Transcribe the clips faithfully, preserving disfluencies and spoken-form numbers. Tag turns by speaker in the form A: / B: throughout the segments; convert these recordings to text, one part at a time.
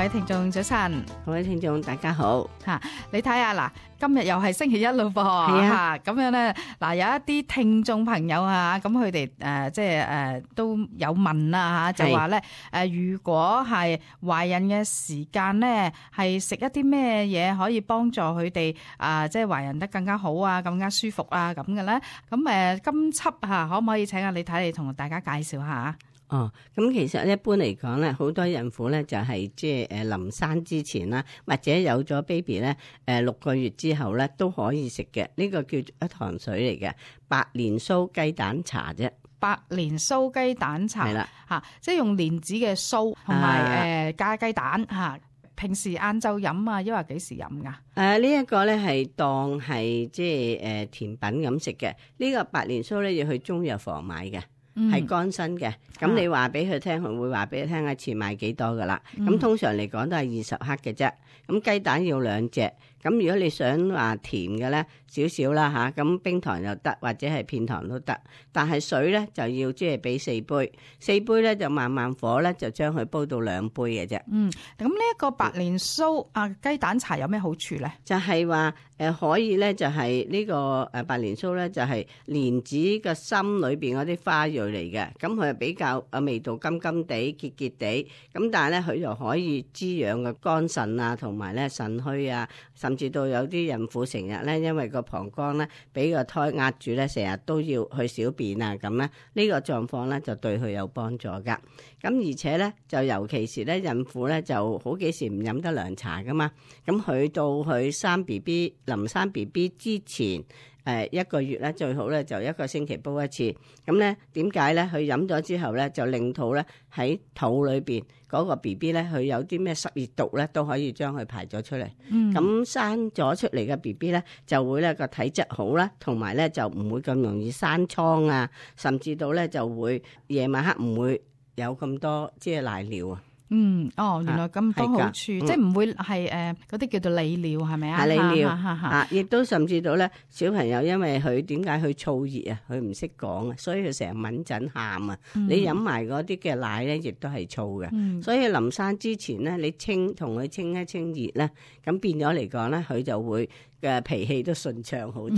A: 位聽眾早晨，
B: 各位聽眾大家好
A: 吓，你睇下嗱，今日又係星期一咯噃，
B: 係啊，
A: 咁樣咧，嗱有一啲聽眾朋友啊，咁佢哋誒即係誒都有問啦吓，就話咧誒如果係懷孕嘅時間咧，係食一啲咩嘢可以幫助佢哋啊，即係懷孕得更加好啊，更加舒服啊咁嘅咧？咁誒今輯吓可唔可以請阿李太嚟同大家介紹下？
B: 哦，咁其實一般嚟講咧，好多孕婦咧就係即係誒臨生之前啦，或者有咗 baby 咧，誒六個月之後咧都可以食嘅。呢個叫做一糖水嚟嘅，白蓮酥雞蛋茶啫。
A: 白蓮酥雞蛋茶係啦，吓即係用蓮子嘅酥同埋誒加雞蛋吓。平時晏晝飲啊，抑或幾時飲噶？
B: 誒呢一個咧係當係即係誒甜品咁食嘅。呢個白蓮酥咧要去中藥房買嘅。係乾身嘅，咁你話俾佢聽，佢會話俾佢聽一次買幾多噶啦。咁、嗯、通常嚟講都係二十克嘅啫。咁雞蛋要兩隻。咁如果你想話甜嘅咧，少少啦吓，咁冰糖又得，或者係片糖都得。但係水咧就要即係俾四杯，四杯咧就慢慢火咧就將佢煲到兩杯嘅啫。
A: 嗯，咁呢一個白蓮酥啊雞蛋茶有咩好處咧？
B: 就係話誒可以咧就係呢個誒白蓮酥咧就係蓮子嘅心裏邊嗰啲花蕊嚟嘅，咁佢係比較誒味道甘甘地、結結地，咁但係咧佢又可以滋養個肝腎啊，同埋咧腎虛啊，甚至到有啲孕婦成日咧因為個膀胱咧俾個胎壓住咧，成日都要去小便啊咁咧，呢個狀況咧就對佢有幫助噶。咁而且咧就尤其是咧孕婦咧就好幾時唔飲得涼茶噶嘛，咁佢到佢生 B B 臨生 B B 之前。誒一個月咧最好咧就一個星期煲一次，咁咧點解咧？佢飲咗之後咧就令肚咧喺肚裏邊嗰個 B B 咧佢有啲咩濕熱毒咧都可以將佢排咗出嚟。咁、嗯、生咗出嚟嘅 B B 咧就會咧個體質好啦，同埋咧就唔會咁容易生瘡啊，甚至到咧就會夜晚黑唔會有咁多即係瀨尿啊。
A: 嗯，哦，原來咁多好處，
B: 啊、
A: 即係唔會係誒嗰啲叫做利尿係咪啊？
B: 係利尿啊，亦都甚至到咧小朋友因為佢點解去燥熱啊？佢唔識講啊，所以佢成日敏陣喊啊。嗯、你飲埋嗰啲嘅奶咧，亦都係燥嘅。嗯、所以臨生之前咧，你清同佢清一清熱咧，咁變咗嚟講咧，佢就會嘅脾氣都順暢好多。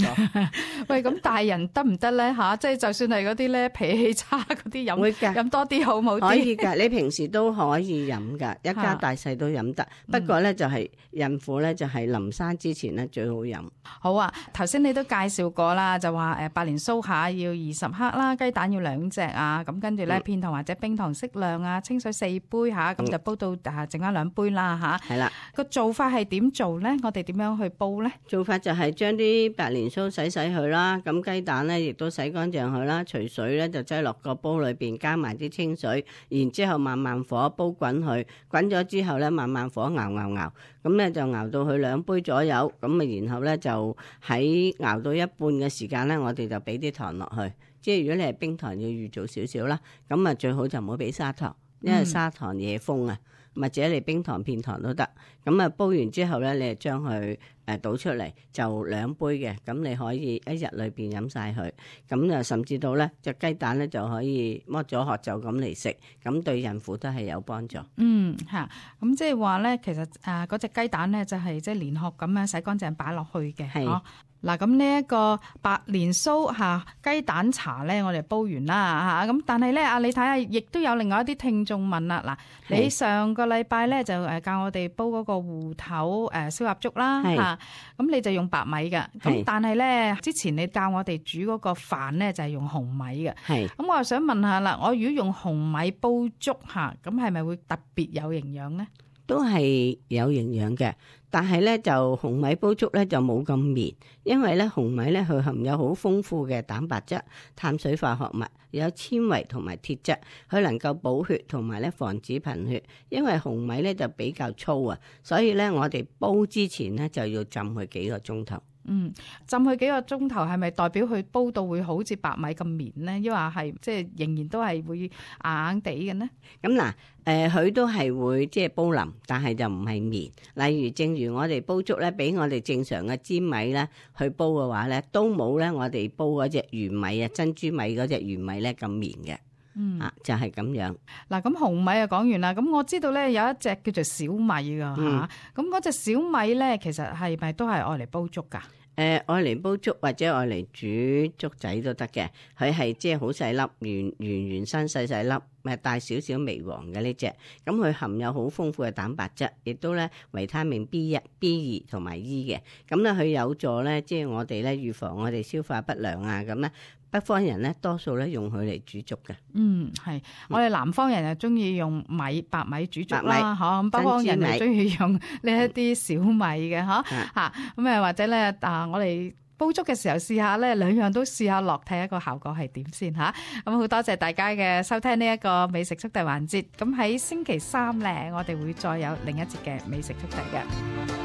A: 喂，咁大人得唔得咧吓？即係就算係嗰啲咧脾氣差嗰啲飲，
B: 會㗎，
A: 飲多啲好冇啲？
B: 可以㗎，你平時都可以飲㗎，一家大細都飲得。不過咧就係孕婦咧就係臨生之前咧最好飲。
A: 好啊，頭先你都介紹過啦，就話誒白蓮酥下要二十克啦，雞蛋要兩隻啊，咁跟住咧片糖或者冰糖適量啊，清水四杯吓，咁就煲到啊剩翻兩杯啦吓。係啦，個做法係點做咧？我哋點樣去煲咧？
B: 做法就係將啲白蓮酥洗洗佢啦，咁雞蛋咧亦都洗乾淨佢啦，除水咧就擠落個煲裏邊，加埋啲清水，然之後慢慢火煲滾佢，滾咗之後咧慢慢火熬熬熬，咁咧就熬到佢兩杯左右，咁啊然後咧就喺熬到一半嘅時間咧，我哋就俾啲糖落去，即係如果你係冰糖要預早少少啦，咁啊最好就唔好俾砂糖，因為砂糖惹風啊。或者你冰糖片糖都得，咁啊煲完之後咧，你就將佢誒倒出嚟，就兩杯嘅，咁你可以一日裏邊飲晒佢，咁啊甚至到咧隻雞蛋咧就可以剝咗殼就咁嚟食，咁對孕婦都係有幫助。
A: 嗯吓，咁即係話咧，其實誒嗰隻雞蛋咧就係即係連殼咁樣洗乾淨擺落去嘅，係。嗱，咁呢一個白蓮酥嚇雞蛋茶咧，我哋煲完啦嚇，咁但係咧，啊你睇下，亦都有另外一啲聽眾問啦。嗱，你上個禮拜咧就誒教我哋煲嗰個芋頭誒燒鴨粥啦嚇，咁你就用白米嘅，咁但係咧之前你教我哋煮嗰個飯咧就係用紅米嘅，係，咁我又想問下啦，我如果用紅米煲粥嚇，咁係咪會特別有營養咧？
B: 都係有營養嘅，但係咧就紅米煲粥咧就冇咁綿，因為咧紅米咧佢含有好豐富嘅蛋白質、碳水化合物，有纖維同埋鐵質，佢能夠補血同埋咧防止貧血。因為紅米咧就比較粗啊，所以咧我哋煲之前咧就要浸佢幾個鐘頭。
A: 嗯，浸佢幾個鐘頭係咪代表佢煲到會好似白米咁綿咧？抑或係即係仍然都係會硬硬地嘅呢？
B: 咁嗱，誒、呃、佢都係會即係煲腍，但係就唔係綿。例如，正如我哋煲粥咧，俾我哋正常嘅粘米咧去煲嘅話咧，都冇咧我哋煲嗰隻玄米啊珍珠米嗰隻玄米咧咁綿嘅。
A: 嗯
B: 啊就係咁樣。
A: 嗱，咁紅米啊講完啦，咁我知道咧有一隻叫做小米噶吓，咁嗰隻小米咧其實係咪都係愛嚟煲粥噶？
B: 誒愛嚟煲粥或者愛嚟煮粥仔都得嘅，佢係即係好細粒，圓圓圓身細細粒，誒帶少少微黃嘅呢隻，咁佢含有好豐富嘅蛋白質，亦都咧維他命 B 一、B 二同埋 E 嘅，咁咧佢有助咧即係我哋咧預防我哋消化不良啊，咁咧北方人咧多數咧用佢嚟煮粥嘅。
A: 嗯，係，我哋南方人就中意用米白米煮粥
B: 白
A: 啦，嚇咁北方人就中意用呢一啲小米嘅，嚇嚇咁誒或者咧啊，我哋煲粥嘅時候試下咧，兩樣都試下落，睇下個效果係點先嚇。咁好多謝大家嘅收聽呢一個美食速遞環節。咁喺星期三咧，我哋會再有另一節嘅美食速遞嘅。